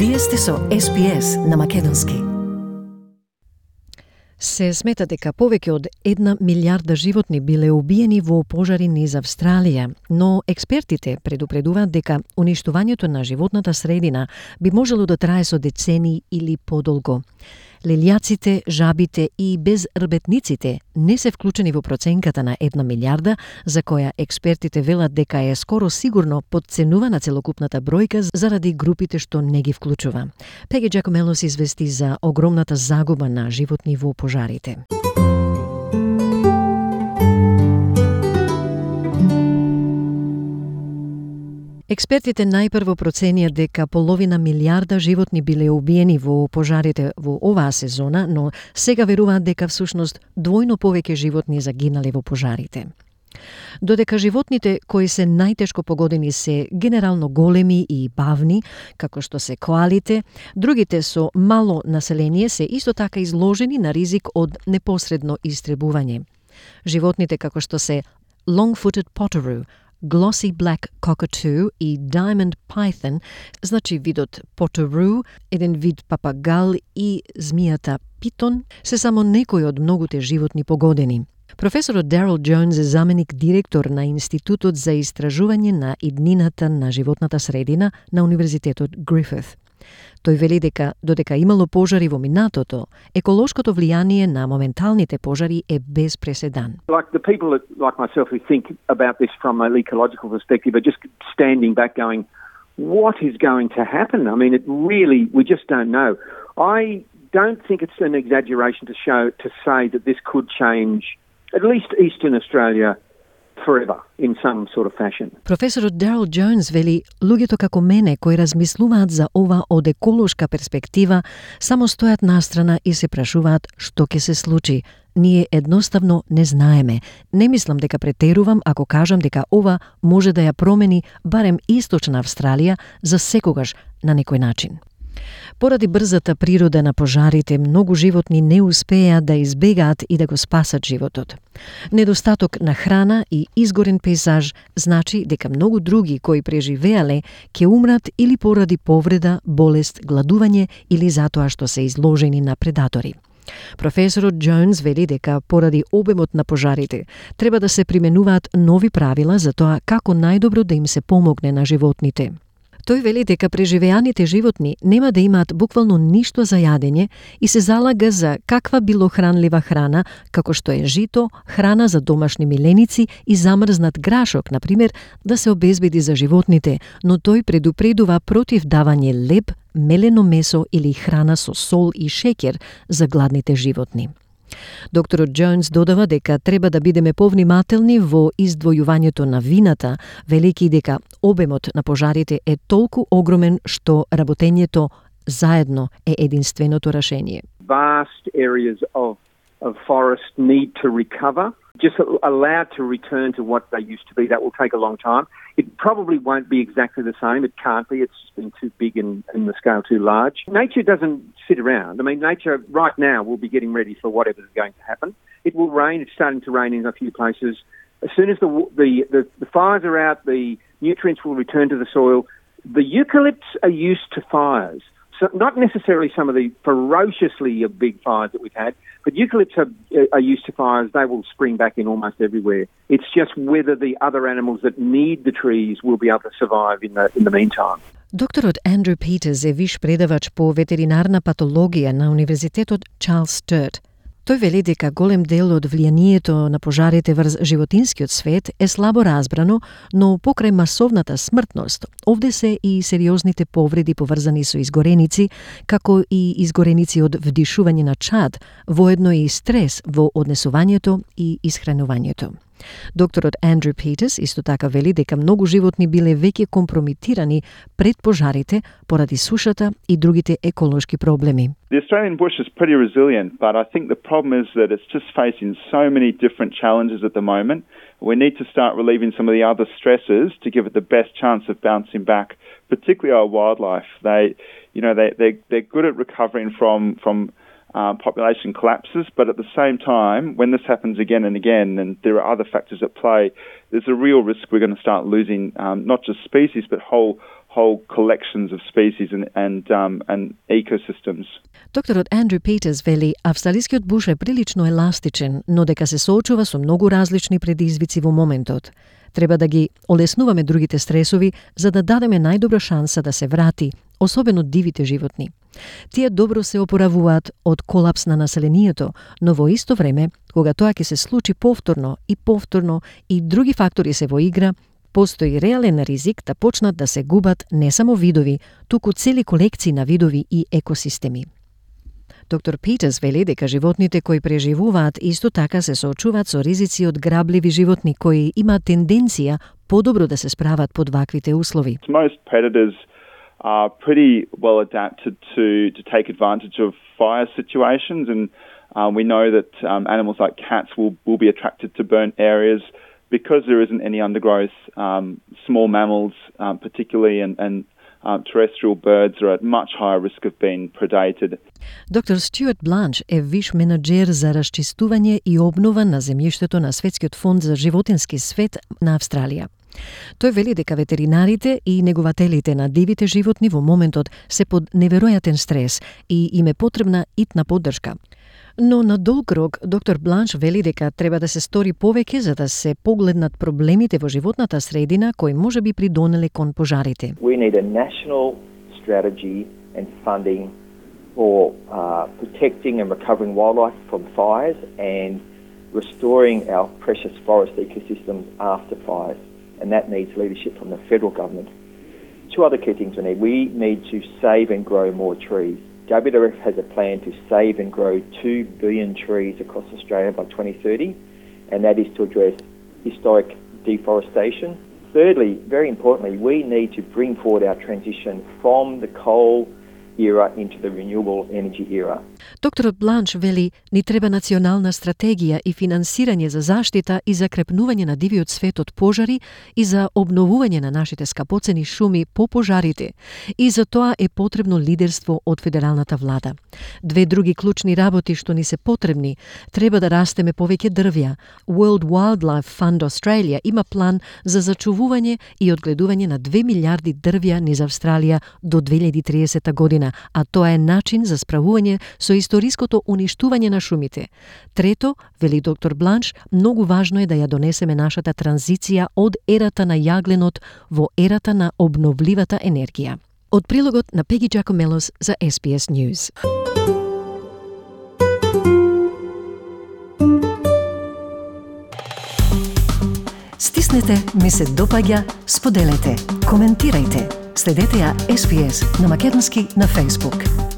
Вие сте со SPS на македонски. Се смета дека повеќе од 1 милиарда животни биле убиени во пожари низ Австралија, но експертите предупредуваат дека уништувањето на животната средина би можело да трае со децении или подолго. Лелијаците, жабите и безрбетниците не се вклучени во проценката на 1 милиарда, за која експертите велат дека е скоро сигурно подценувана целокупната бројка заради групите што не ги вклучува. Пеги Джакомелос извести за огромната загуба на животни во пожарите. Експертите најпрво проценија дека половина милиарда животни биле убиени во пожарите во оваа сезона, но сега веруваат дека всушност двојно повеќе животни загинале во пожарите. Додека животните кои се најтешко погодени се генерално големи и бавни, како што се коалите, другите со мало население се исто така изложени на ризик од непосредно истребување. Животните како што се long-footed potoroos, glossy black cockatoo и diamond python, значи видот potoroo, еден вид папагал и змијата питон, се само некои од многуте животни погодени. Професорот Дарел Джонс е заменик директор на Институтот за истражување на иднината на животната средина на Универзитетот Грифит. Тој вели дека додека имало пожари во минатото, еколошкото влијание на моменталните пожари е без преседан. Like the people that, like myself who think about this from an ecological perspective are just standing back going, what is going to happen? I mean, we just don't know. I don't think it's an exaggeration to say that this could change at least Eastern Australia forever in some sort of fashion. Професорот Дарел Джонс вели, луѓето како мене кои размислуваат за ова од еколошка перспектива, само стојат настрана и се прашуваат што ќе се случи. Ние едноставно не знаеме. Не мислам дека претерувам ако кажам дека ова може да ја промени барем Источна Австралија за секогаш на некој начин. Поради брзата природа на пожарите, многу животни не успеа да избегаат и да го спасат животот. Недостаток на храна и изгорен пейзаж значи дека многу други кои преживеале ќе умрат или поради повреда, болест, гладување или затоа што се изложени на предатори. Професорот Джонс вели дека поради обемот на пожарите треба да се применуваат нови правила за тоа како најдобро да им се помогне на животните. Тој вели дека преживеаните животни нема да имаат буквално ништо за јадење и се залага за каква било хранлива храна, како што е жито, храна за домашни миленици и замрзнат грашок, например, да се обезбеди за животните, но тој предупредува против давање леб, мелено месо или храна со сол и шеќер за гладните животни. Докторот Джонс додава дека треба да бидеме повнимателни во издвојувањето на вината, велики дека обемот на пожарите е толку огромен што работењето заедно е единственото рашение. Vast areas of forest need to recover, just allowed to return to what they used to be. That will take a long time. It probably won't be exactly the same. It can't be. It's been too big and the scale too large. Nature doesn't sit around. I mean, nature right now will be getting ready for whatever is going to happen. It will rain. It's starting to rain in a few places. As soon as the fires are out, the nutrients will return to the soil. The eucalypts are used to fires. So not necessarily some of the ferociously big fires that we've had, but eucalypts are used to fires. They will spring back in almost everywhere. It's just whether the other animals that need the trees will be able to survive in the meantime. Докторот Андрю Питерс е виш предавач по ветеринарна патологија на Универзитетот Чарлс Стърт. Тој вели дека голем дел од влијанието на пожарите врз животинскиот свет е слабо разбрано, но покрај масовната смртност, овде се и сериозните повреди поврзани со изгореници, како и изгореници од вдишување на чад, воедно и стрес во однесувањето и исхранувањето. Докторот Андрю Питерс исто така вели дека многу животни биле веќе компрометирани пред пожарите поради сушата и другите еколошки проблеми. The Australian bush is pretty resilient, but I think the problem is that it's just facing so many different challenges at the moment. We need to start relieving some of the other stresses to give it the best chance of bouncing back, particularly our wildlife. They're good at recovering from population collapses, but at the same time, when this happens again and again, and there are other factors at play, there's a real risk we're going to start losing not just species, but whole collections of species and ecosystems. Докторот Андрю Питерс вели, австралискиот буш е прилично еластичен, но дека се соочува со многу различни предизвици во моментот. Треба да ги олеснуваме другите стресови за да дадеме најдобра шанса да се врати, особено дивите животни. Тие добро се опоравуваат од колапс на населението, но во исто време, кога тоа ќе се случи повторно и други фактори се во игра, постои реален ризик да почнат да се губат не само видови, туку цели колекции на видови и екосистеми. Доктор Питерс вели дека животните кои преживуваат исто така се соочуваат со ризици од грабливи животни кои имаат тенденција подобро да се справат под ваквите услови. Most predators are pretty well adapted to take advantage of fire situations, and we know that animals like cats will be attracted to burnt areas because there isn't any undergrowth. Small mammals, particularly, and terrestrial birds are at much higher risk of being predated. Доктор Стюарт Бланш е виш менаџер за расчистување и обнова на земјиштето на Светскиот фонд за животински свет на Австралија. Тој вели дека ветеринарите и негователите на дивите животни во моментот се под неверојатен стрес и им е потребна итна поддршка. Но на долг рок, доктор Бланш вели дека треба да се стори повеќе за да се погледнат проблемите во животната средина кои може би придонеле кон пожарите. We need a national strategy and funding for protecting and recovering wildlife from fires and restoring our precious forest ecosystems after fires. And that needs leadership from the federal government. Two other key things we need. We need to save and grow more trees. WWF has a plan to save and grow 2 billion trees across Australia by 2030, and that is to address historic deforestation. Thirdly, very importantly, we need to bring forward our transition from the coal era into the renewable energy era. Докторот Бланш вели, ни треба национална стратегија и финансирање за заштита и за крепнување на дивиот свет од пожари и за обновување на нашите скапоцени шуми по пожарите. И за тоа е потребно лидерство од федералната влада. Две други клучни работи што ни се потребни, треба да растеме повеќе дрвја. World Wildlife Fund Australia има план за зачувување и одгледување на 2 милиарди дрвја низ Австралија до 2030 година, а тоа е начин за справување со историското уништување на шумите. Трето, вели доктор Бланш, многу важно е да ја донесеме нашата транзиција од ерата на јагленот во ерата на обновливата енергија. Од прилогот на Пеги Джакомелос за SBS News. Стиснете, ми се допаѓа, споделете, коментирајте. Следете ја SBS на македонски на Facebook.